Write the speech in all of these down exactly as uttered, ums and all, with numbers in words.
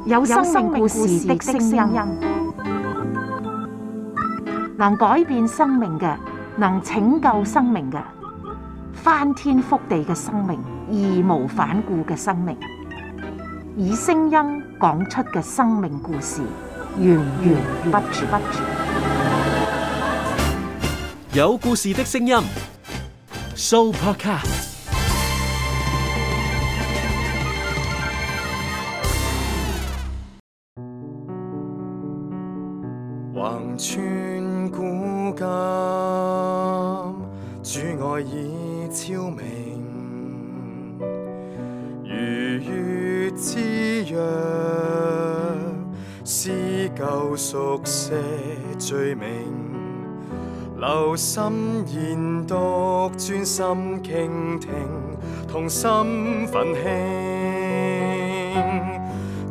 有生命故事的聲音，能改變生命嘅，能拯救生命嘅，翻天覆地嘅生命，義無反顧嘅生命，以聲音講出嘅生命故事，源源不絕。有故事的聲音 ，Sooopodcast。橫穿古今，主愛已超明，如月之約，撕舊熟寫罪名，留心研讀，專心傾聽，同心奮興，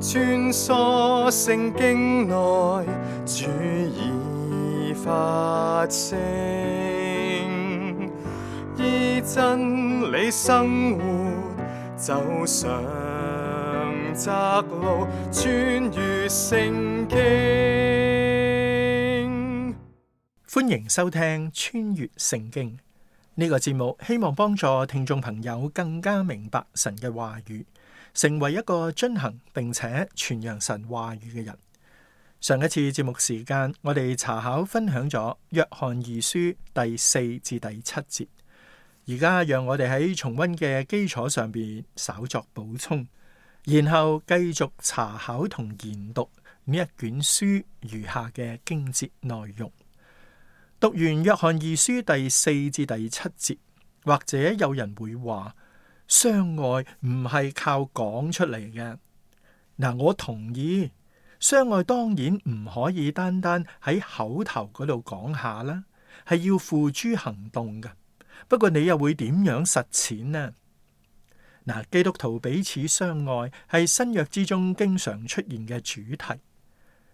穿梭聖經內，主已發聲，依真理生活，走上窄路，穿越聖經。歡迎收聽穿越聖經呢個節目，希望幫助聽眾朋友更加明白神嘅話語，成為一個遵行並且傳揚神話語嘅人。上一次節目時間，我哋查考分享咗約翰二書第四至第七節，而家讓我哋喺重溫嘅基礎上邊稍作補充，然後繼續查考同研讀呢一卷書餘下嘅經節內容。讀完約翰二書第四至第七節，或者有人會話相愛唔係靠講出嚟嘅。嗱，我同意，相愛當然唔可以單單喺口頭嗰度講下啦，係要付諸行動嘅。不過你又會點樣實踐呢？嗱，基督徒彼此相愛係新約之中經常出現嘅主題，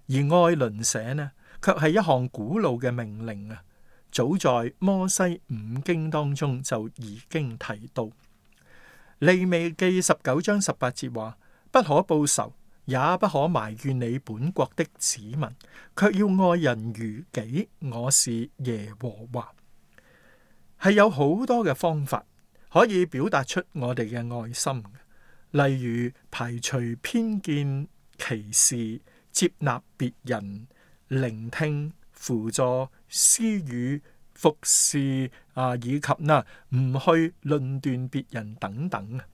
而愛鄰舍呢，卻係一項古老嘅命令啊！早在摩西五經當中就已經提到。利未記十九章十八節話：不可報仇，也不可埋怨你本國的子民，卻要愛人如己。我是耶和華。係有好多嘅方法可以表達出我哋嘅愛心，例如排除偏見、歧視、接納別人、聆聽、輔助、施予、服侍啊，以及嗱唔去論斷別人等等啊。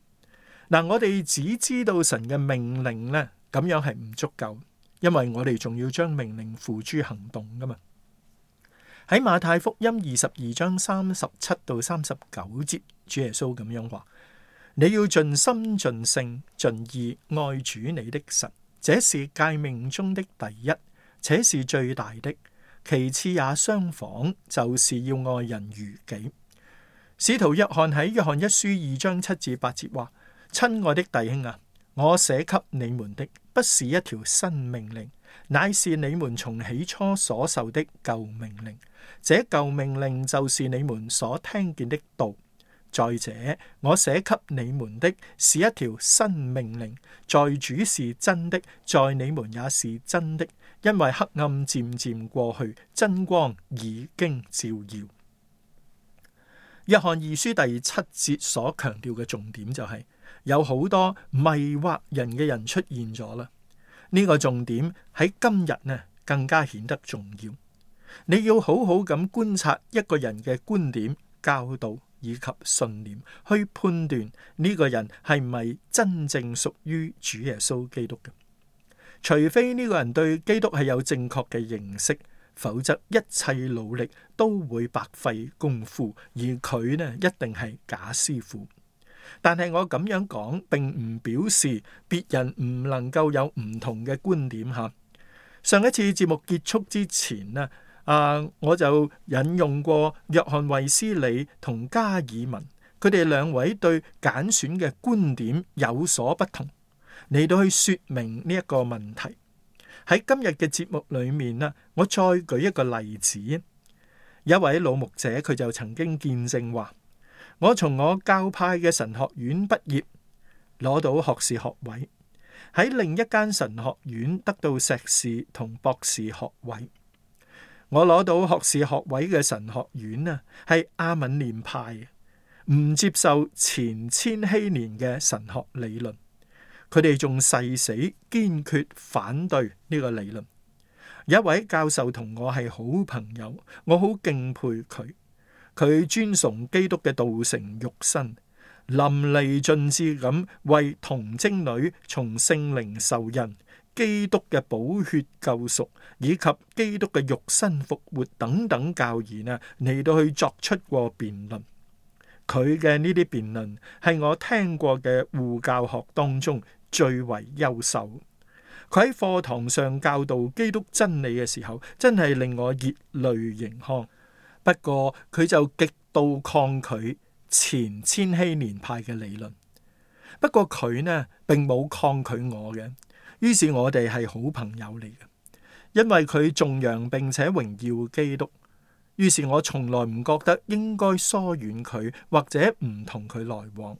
嗱，我哋只知道神嘅命令呢，咁樣係唔足夠，因為我哋仲要將命令付諸行動噶嘛。喺馬太福音二十二章三十七到三十九節，主耶穌咁樣話：你要盡心盡性盡意愛主你的神，這是誡命中的第一，且是最大的。其次也相仿，就是要愛人如己。使徒約翰喺約翰一書二章七至八節話：親愛的弟兄啊，我寫給你們的不是一條新命令，乃是你們從起初所受的舊命令。這舊命令就是你們所聽見的道。再者，我寫給你們的是一條新命令，在主是真的，在你們也是真的，因為黑暗漸漸過去，真光已經照耀。約翰二書第七節所強調嘅重點就係、是、有好多迷惑人嘅人出現咗啦。呢、這個重點喺今日呢更加顯得重要。你要好好咁觀察一個人嘅觀點、教導以及信念，去判斷呢個人係咪真正屬於主耶穌基督嘅。除非呢個人對基督係有正確嘅認識，否則一切努力都會白費功夫，而佢呢一定係假師傅。但係我咁樣講，並唔表示別人唔能夠有唔同嘅觀點吓。上一次節目結束之前呢，啊，我就引用過約翰衛斯理同加爾文，佢哋兩位對揀選嘅觀點有所不同，嚟到去說明呢一個問題。喺今日嘅節目裏面呢，我再舉一個例子。有一位老牧者，佢就曾經見證話：我從我教派嘅神學院畢業，攞到學士學位，喺另一間神學院得到碩士同博士學位。我攞到學士學位嘅神學院啊，係亞敏念派，唔接受前千禧年嘅神學理論。佢哋仲誓死堅決反對呢個理論。有一位教授同我係好朋友，我好敬佩佢。佢尊崇基督嘅道成肉身，淋漓盡致咁為童貞女從聖靈受孕、基督嘅寶血救贖以及基督嘅肉身復活等等教義啊，嚟到去作出過辯論。佢嘅呢啲辯論係我聽過嘅護教學當中最為優秀。佢喺課堂上教導基督真理嘅時候，真係令我熱淚盈眶。不過佢就極度抗拒前千禧年派嘅理論。不過佢呢並冇抗拒我嘅，於是我哋係好朋友嚟嘅。因為佢頌揚並且榮耀基督，於是我從來唔覺得應該疏遠佢或者唔同佢來往。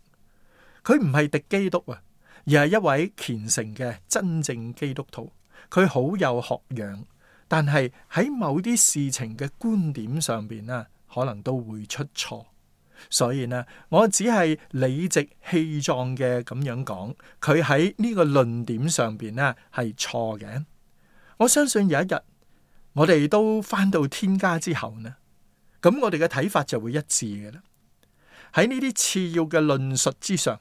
佢唔係敵基督啊，而係一位虔誠嘅真正基督徒。佢好有學養，但係喺某啲事情嘅觀點上邊呢，可能都會出錯。所以呢，我只係理直氣壯嘅咁樣講，佢喺呢個論點上邊呢係錯嘅。我相信有一日我哋都返到天家之後呢，咁我哋嘅睇法就會一致嘅啦。喺呢啲次要嘅論述之上，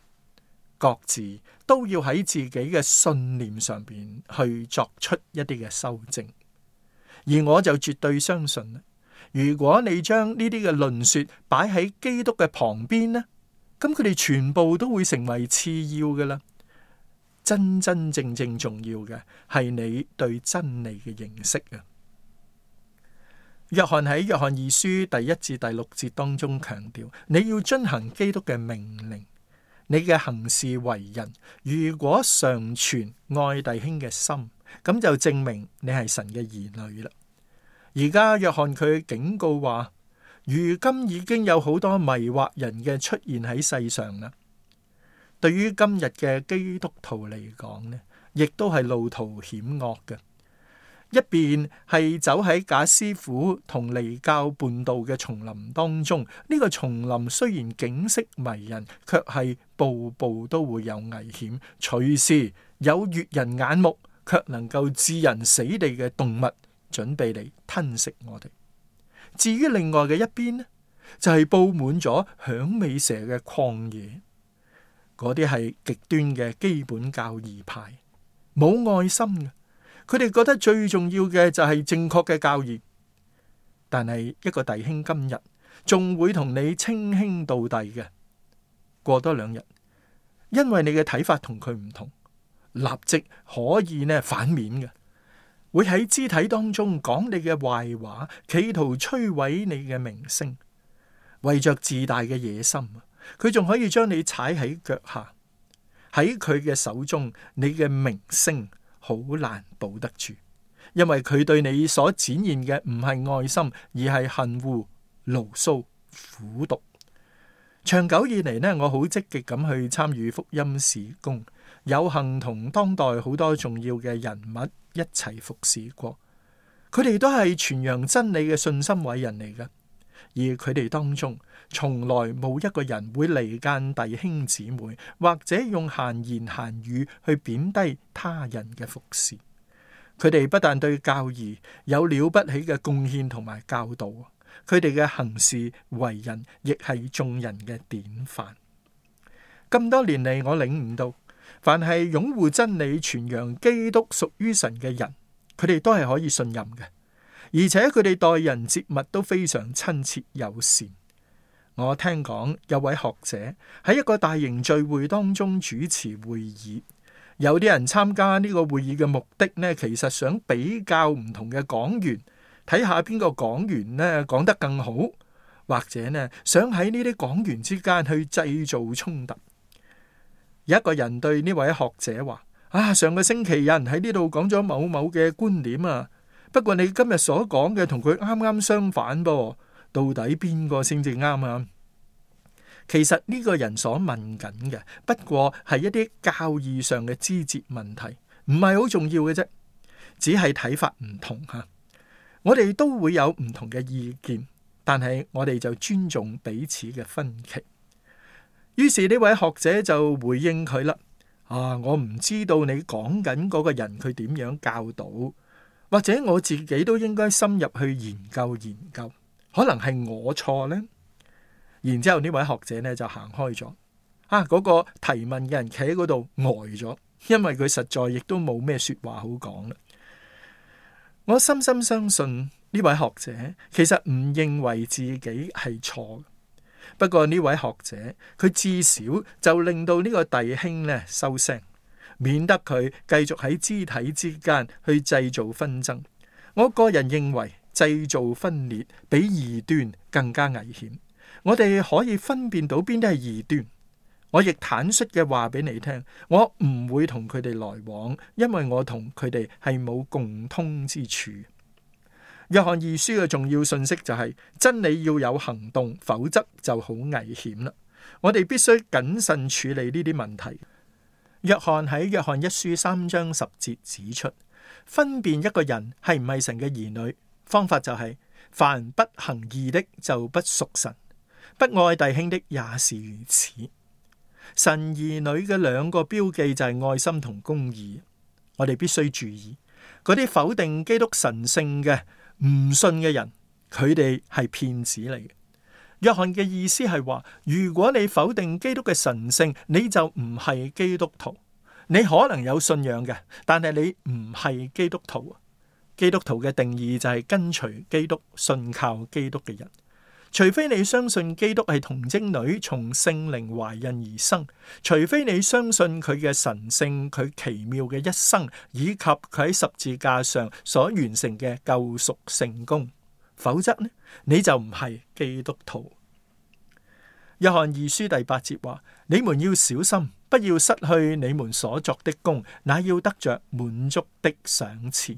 各自都要喺自己嘅信念上邊去作出一啲嘅修正。而我就絕對相信，如果你將呢啲嘅論說擺喺基督嘅旁邊呢，咁佢哋全部都會成為次要嘅啦。真真正正重要嘅係你對真理嘅認識啊。約翰喺約翰二書第一至第六節當中強調，你要遵行基督嘅命令。你嘅行事為人，如果常存愛弟兄嘅心，咁就證明你係神嘅兒女啦。而家約翰佢警告話，如今已經有好多迷惑人嘅出現喺世上啦。對於今日嘅基督徒嚟講呢，亦都係路途險惡嘅。一邊係走喺假師傅同離教叛道嘅叢林當中，呢、這個叢林雖然景色迷人，卻係步步都會有危險，隨時有悅人眼目卻能夠致人死地嘅動物準備嚟吞食我哋。至於另外嘅一邊呢，就係、是、布滿咗響尾蛇嘅曠野，嗰啲係極端嘅基本教義派，冇愛心嘅。佢哋覺得最重要嘅就係正確嘅教義，但係一個弟兄今日仲會同你稱兄道弟嘅，過多兩日，因為你嘅睇法同佢唔同，立即可以呢反面嘅，會喺肢體當中講你嘅壞話，企圖摧毀你嘅名聲，為着自大嘅野心，佢仲可以將你踩喺腳下。喺佢嘅手中，你嘅名聲好難保得住，因為佢對你所展現嘅唔係愛心，而係恨惡、牢騷、苦毒。長久以嚟呢，我好積極咁去參與福音事工，有幸同當代好多重要嘅人物一齊服侍過。佢哋都係傳揚真理嘅信心偉人嚟嘅，而佢哋當中從來冇一個人會離間弟兄姊妹，或者用閒言閒語去貶低他人嘅服侍。佢哋不但對教義有了不起嘅貢獻同埋教導，佢哋嘅行事為人亦係眾人嘅典範。咁多年嚟，我領悟到，凡係擁護真理、傳揚基督屬於神嘅人，佢哋都係可以信任嘅，而且佢哋待人接物都非常親切友善。我聽講有位學者喺一個大型聚會當中主持會議，有啲人參加呢個會議嘅目的呢，其實想比較唔同嘅講員，睇下邊個講員呢講得更好，或者呢想喺呢啲講員之間去製造衝突。有一個人對呢位學者話：啊，上個星期有人喺呢度講咗某某嘅觀點啊，不過你今日所講嘅同佢啱啱相反噃。到底邊個先至啱啊？其實呢個人所問緊嘅，不過係一啲教義上嘅枝節問題，唔係好重要嘅啫，只係睇法唔同吓。我哋都會有唔同嘅意見，但係我哋就尊重彼此嘅分歧。於是呢位學者就回應佢啦：啊，我唔知道你講緊嗰個人佢點樣教導，或者我自己都應該深入去研究研究，可能係我錯呢。然之後呢位學者呢就行開咗。啊，嗰個提問嘅人企喺嗰度呆咗，因為佢實在亦都冇咩說話好講啦。我深深相信呢位學者其實唔認為自己係錯，不過呢位學者佢至少就令到呢個弟兄呢收聲，免得佢繼續喺肢體之間去製造紛爭。我個人認為製造分裂比異端更加危險。我哋可以分辨到邊啲係異端。我亦坦率嘅話俾你聽，我唔會同佢哋來往，因為我同佢哋係冇共通之處。約翰二書嘅重要信息就係真理要有行動，否則就好危險啦。我哋必須謹慎處理呢啲問題。約翰喺約翰一書三章十節指出，分辨一個人係唔係神嘅兒女，方法就係凡不行義的就不屬神，不愛弟兄的也是如此。神兒女嘅兩個標記就係愛心同公義。我哋必須注意嗰啲否定基督神聖嘅唔信嘅人，佢哋係騙子嚟嘅。約翰嘅意思係話，如果你否定基督嘅神聖，你就唔係基督徒。你可能有信仰嘅，但係你唔係基督徒。基督徒嘅定義就係跟隨基督、信靠基督嘅人。除非你相信基督係童貞女從聖靈懷孕而生，除非你相信佢嘅神聖、佢奇妙嘅一生，以及佢喺十字架上所完成嘅救贖聖工，否則呢，你就唔係基督徒。約翰二書第八節話：你們要小心，不要失去你們所作的工，乃要得着滿足的賞賜。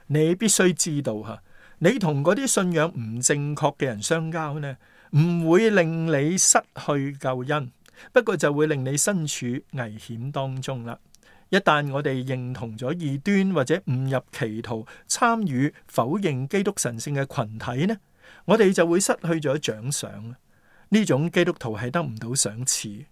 你必須知道吓。你同嗰啲信仰唔正確嘅人相交呢，唔會令你失去救恩，不過就會令你身處危險當中啦。一旦我哋認同咗異端或者誤入歧途，參與否認基督神聖嘅群體呢，我哋就會失去咗獎賞。呢種基督徒係得唔到賞賜。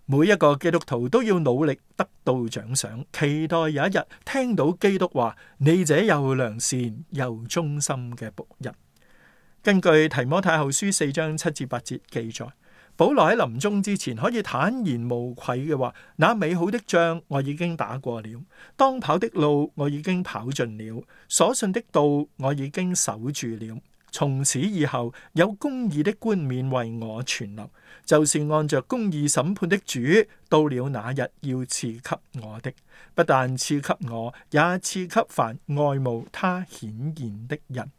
每一個基督徒都要努力得到獎賞，期待有一日聽到基督話：你這又良善又忠心嘅僕人。根據提摩太後書四章七至八節記載，保羅喺臨終之前可以坦然無愧嘅話：那美好的仗我已經打過了，當跑的路我已經跑盡了，所信的道我已經守住了。從此以後，有公義的冠冕為我存留，就是按着公義審判的主，到了那日要賜給我的。不但賜給我，也賜給凡愛慕他顯現的人。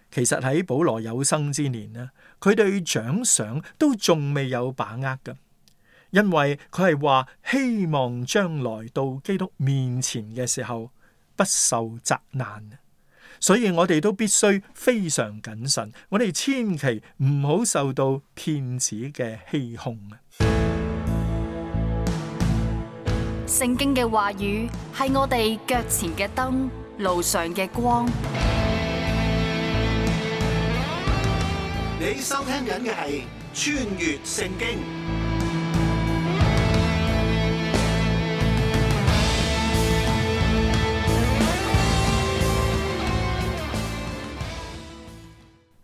其實喺保羅有生之年呢，佢對獎賞都仲未有把握㗎，因為佢係話希望將來到基督面前嘅時候不受責難。所以我哋都必須非常謹慎，我哋千祈唔好受到騙子嘅欺哄啊！聖經嘅話語係我哋腳前嘅燈，路上嘅光。你收聽緊嘅係穿越聖經。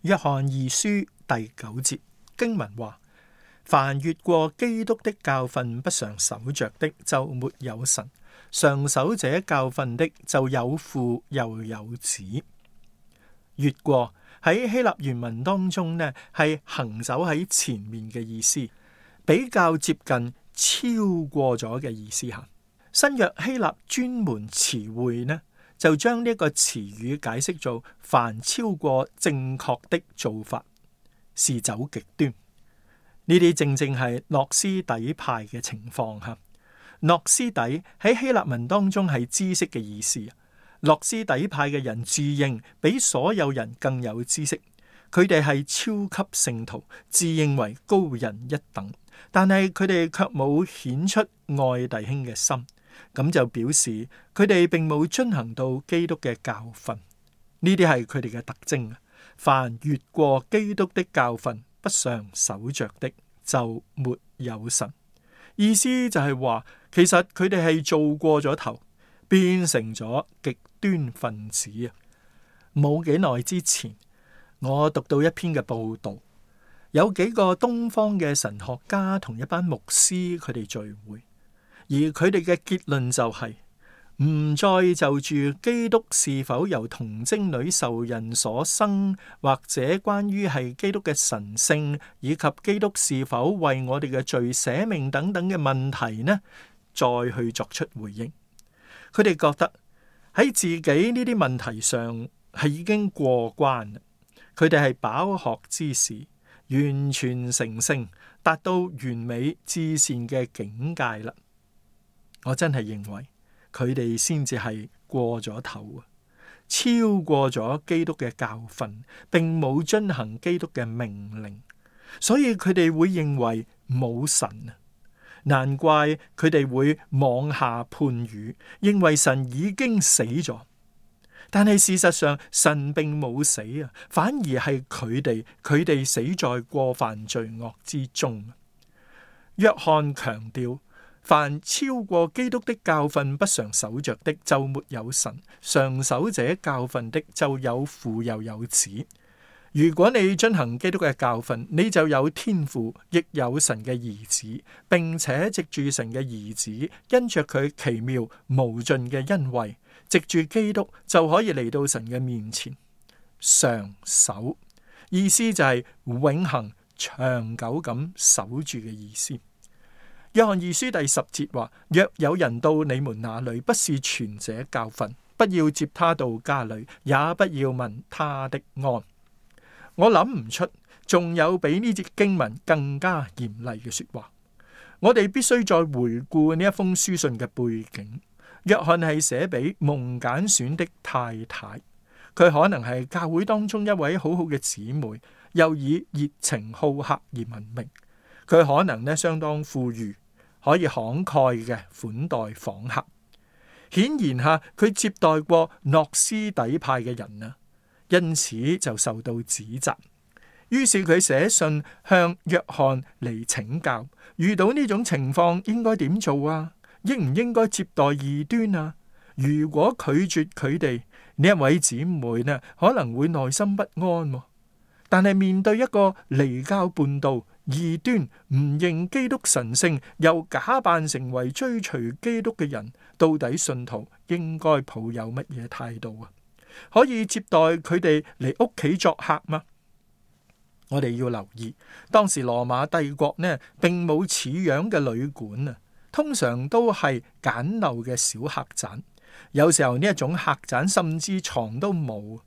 約翰二書第九節經文話：凡越過基督的教訓不常守着的，就沒有神；常守這教訓的，就有父又有子。越過喺希臘原文當中呢，係行走喺前面嘅意思，比較接近超過咗嘅意思吓。新約希臘專門詞彙呢，就將呢個詞語解釋做凡超過正確的做法是走極端。呢啲正正係諾斯底派嘅情況吓。諾斯底喺希臘文當中係知識嘅意思。諾斯底派嘅人自認比所有人更有知識，佢哋係超級聖徒，自認為高人一等，但係佢哋卻冇顯出愛弟兄嘅心，咁就表示佢哋並冇遵行到基督嘅教訓。呢啲係佢哋嘅特徵。凡越過基督的教訓不常守着的，就沒有神。意思就係話，其實佢哋係做過咗頭，變成咗極端分子啊！冇幾耐之前，我讀到一篇嘅報道，有幾個東方嘅神學家同一班牧師佢哋聚會，而佢哋嘅結論就係、是。唔再就住基督是否由童貞女受孕所生，或者關於係基督嘅神性，以及基督是否為我哋嘅罪捨命等等嘅問題呢，再去作出回應。佢哋覺得喺自己呢啲問題上係已經過關啦，佢哋係飽學之士，完全成聖，達到完美至善嘅境界啦。我真係認為。佢哋先至係過咗頭啊，超過咗基督嘅教訓，並冇遵行基督嘅命令，所以佢哋會認為冇神啊。難怪佢哋會妄下判語，認為神已經死咗。但係事實上，神並冇死啊，反而係佢哋，佢哋死在過犯罪惡之中。約翰強調。凡超過基督的教訓不常守着的，就沒有神；常守這教訓的，就有父又有子。如果你遵行基督嘅教訓，你就有天父，亦有神嘅兒子，並且藉住神嘅兒子，因着佢奇妙無盡嘅恩惠，藉住基督就可以嚟到神嘅面前。常守意思就係永恆長久咁守住嘅意思。約翰二書第十節話：若有人到你們那裏，不是傳這教訓，不要接他到家裏，也不要問他的安。我諗唔出仲有比呢節經文更加嚴厲嘅說話。我哋必須再回顧呢一封書信嘅背景。約翰係寫俾蒙揀選的太太，佢可能係教會當中一位好好嘅姊妹，又以熱情好客而聞名。佢可能呢相當富裕。可以慷慨嘅款待訪客，顯然下佢接待過諾斯底派嘅人啊，因此就受到指責。於是佢寫信向約翰嚟請教，遇到呢種情況應該點做啊？應唔應該接待異端啊？如果拒絕佢哋，呢一位姊妹呢可能會內心不安啊。但係面對一個離教叛道、異端唔認基督神聖，又假扮成為追隨基督嘅人，到底信徒應該抱有乜嘢態度啊？可以接待佢哋嚟屋企作客嗎？我哋要留意，當時羅馬帝國呢，並冇似樣嘅旅館啊，通常都係簡陋嘅小客棧。有時候呢一種客棧甚至床都冇。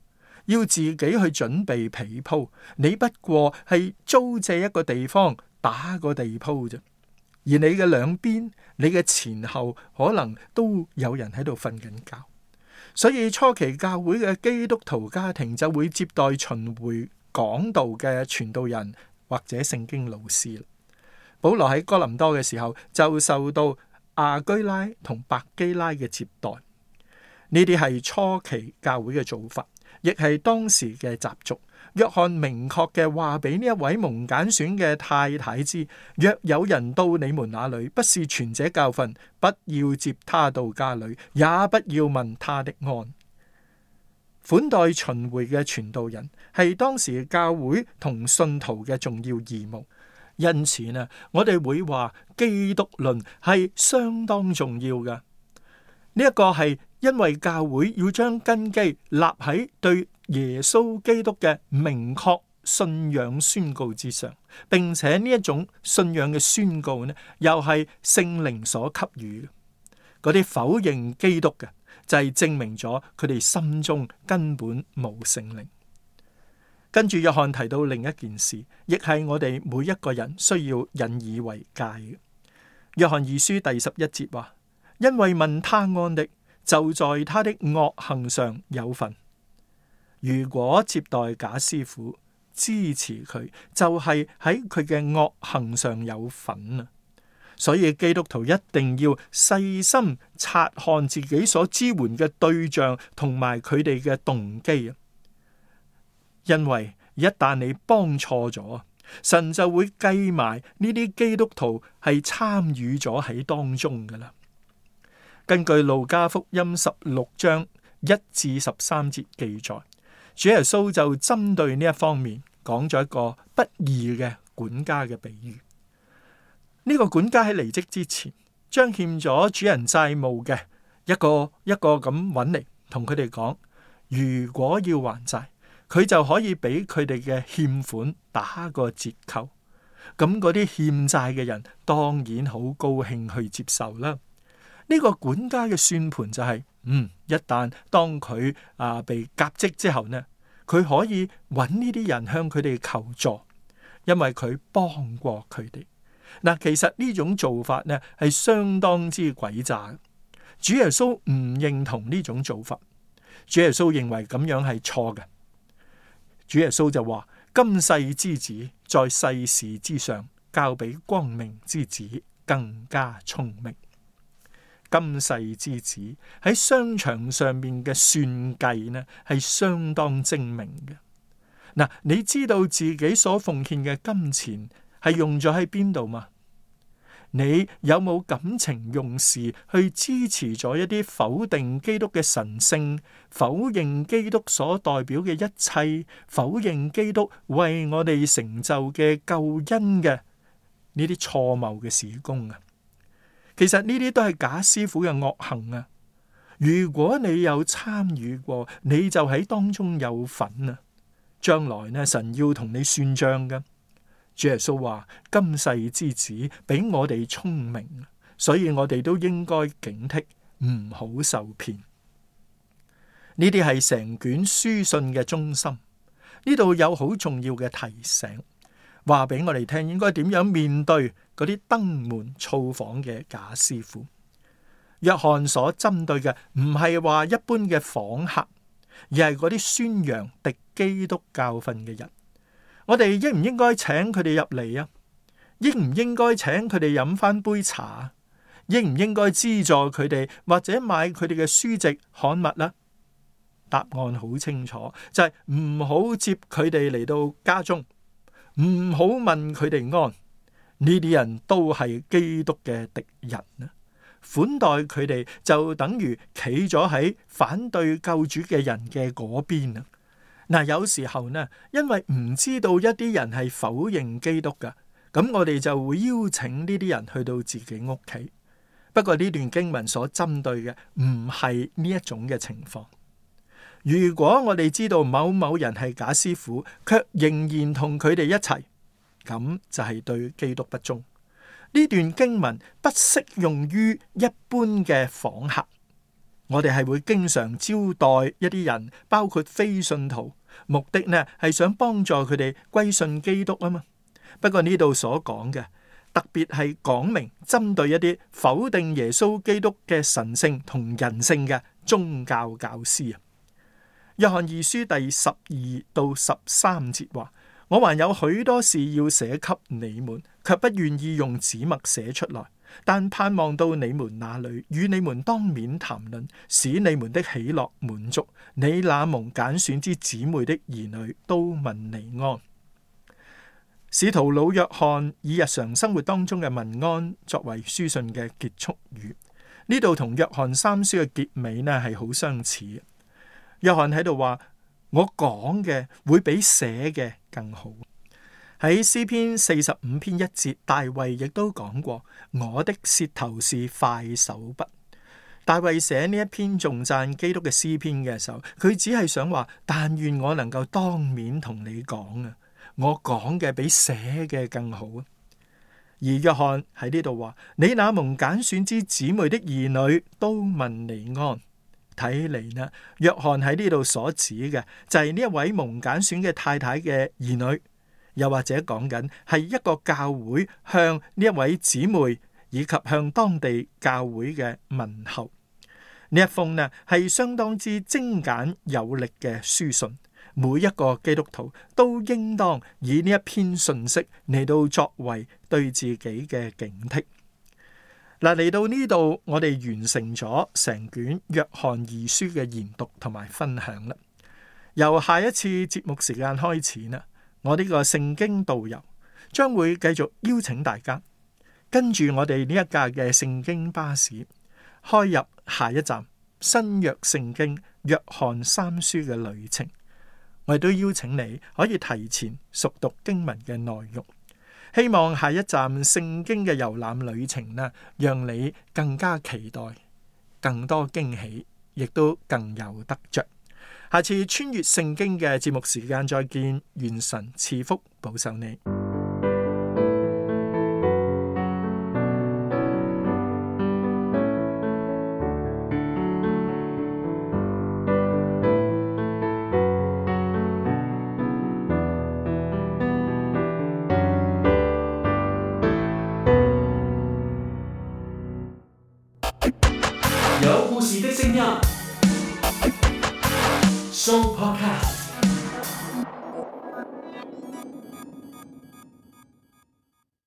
要自己去準備被鋪，你不過係租借一個地方打個地鋪啫。而你嘅兩邊、你嘅前後，可能都有人喺度瞓緊覺。所以初期教會嘅基督徒家庭就會接待巡迴講道嘅傳道人或者聖經老師。保羅喺哥林多嘅時候就受到亞居拉同百基拉嘅接待。呢啲係初期教會嘅做法。亦係當時嘅習俗。約翰明確嘅話俾呢一位蒙揀選嘅太太知：若有人到你們那裏，不是傳這教訓，不要接他到家裏，也不要問他的安。款待巡迴嘅傳道人係當時教會同信徒嘅重要義務。因此呢，我哋會話基督論係相當重要嘅。呢一個係因為教會要將根基立喺對耶穌基督嘅明確信仰宣告之上，並且呢一種信仰嘅宣告呢，又係聖靈所給予嘅。嗰啲否認基督嘅，就係證明咗佢哋心中根本冇聖靈。跟住約翰提到另一件事，亦係我哋每一個人需要引以為戒嘅。約翰二書第十一節話：因為問他安的，就在他的惡行上有份。如果接待假師傅，支持佢，就係喺佢嘅惡行上有份啊！所以基督徒一定要細心察看自己所支援嘅對象同埋佢哋嘅動機啊！因為一旦你幫錯咗，神就會計埋呢啲基督徒係參與咗喺當中噶啦。根據路加福音十六章一至十三節記載，主耶穌就針對呢一方面講咗一個不義嘅管家嘅比喻。呢個管家喺離職之前，將欠咗主人債務嘅一個一個咁揾嚟，同佢哋講，如果要還債，佢就可以俾佢哋嘅欠款打個折扣。咁嗰啲欠債嘅人當然好高興去接受啦。呢個管家嘅算盤就係，嗯，一旦當佢啊被革職之後呢，佢可以揾呢啲人向佢哋求助，因為佢幫過佢哋。嗱，其實呢種做法呢係相當之詭詐。主耶穌唔認同呢種做法，主耶穌認為咁樣係錯嘅。主耶穌就話：今世之子在世事之上，較比光明之子更加聰明。今世之子喺商場上面嘅算計呢，係相當精明嘅。嗱，你知道自己所奉獻嘅金錢係用咗喺邊度嘛？你有冇感情用事去支持咗一啲否定基督嘅神聖、否認基督所代表嘅一切、否認基督為我哋成就嘅救恩嘅呢啲錯謬嘅事工啊？其實呢啲都係假師傅嘅惡行啊！如果你有參與過，你就喺當中有份啊！將來呢，神要同你算賬嘅。主耶穌話：今世之子比我哋聰明，所以我哋都應該警惕，唔好受騙。呢啲係成卷書信嘅中心。呢度有好重要嘅提醒，話俾我哋聽應該點樣面對嗰啲登門造訪嘅假師傅。約翰所針對嘅唔係話一般嘅訪客，而係嗰啲宣揚敵基督教訓嘅人。我哋應唔應該請佢哋入嚟啊？應唔應該請佢哋飲翻杯茶？應唔應該資助佢哋或者買佢哋嘅書籍刊物啦？答案好清楚，就係唔好接佢哋嚟到家中，唔好問佢哋安。呢啲人都係基督嘅敵人啊！款待佢哋就等於企咗喺反對救主嘅人嘅嗰邊啊！嗱，有時候呢，因為唔知道一啲人係否認基督噶，咁我哋就會邀請呢啲人去到自己屋企。不過呢段經文所針對嘅唔係呢一種嘅情況。如果我哋知道某某人係假師傅，卻仍然同佢哋一齊，咁就係對基督不忠。呢段經文不適用於一般嘅訪客。我哋係會經常招待一啲人，包括非信徒，目的呢係想幫助佢哋歸信基督啊嘛。不過呢度所講嘅，特別係講明針對一啲否定耶穌基督嘅神性同人性嘅宗教教師啊。約翰二書第十二到十三節話：我還有許多事要寫給你們，卻不願意用紙墨寫出來，但盼望到你們那裏，與你們當面談論，使你們的喜樂滿足。你那蒙揀選之姊妹的兒女都問你安。使徒老約翰以日常生活當中嘅問安作為書信嘅結束語，呢度同約翰三書嘅結尾呢係好相似。約翰喺度話：我講嘅會比寫嘅更好。喺詩篇四十五篇一節，大衛亦都講過：我的舌頭是快手筆。大衛寫呢一篇頌讚基督嘅詩篇嘅時候，佢只係想話：但願我能夠當面同你講啊，我講嘅比寫嘅更好啊。而約翰喺呢度話：你那蒙揀選之姊妹的兒女都問你安。睇嚟呢，約翰喺呢度所指嘅就係呢一位蒙揀選嘅太太嘅兒女，又或者講緊係一個教會向呢一位姊妹以及向當地教會嘅問候。呢一封呢係相當之精簡有力嘅書信，每一個基督徒都應當以呢一篇信息嚟到作為對自己嘅警惕。嗱，嚟到呢度，我哋完成咗成卷約翰二書嘅研讀同埋分享啦。由下一次節目時間開始啦，我呢個聖經導遊將會繼續邀請大家跟住我哋呢一架嘅聖經巴士，開入下一站新約聖經約翰三書嘅旅程。我亦都邀請你可以提前熟讀經文嘅內容，希望下一站聖經嘅遊覽旅程呢，讓你更加期待，更多驚喜，亦都更有得着。下次穿越聖經嘅節目時間再見，願神賜福保守你。有故事的聲音，Show Podcast。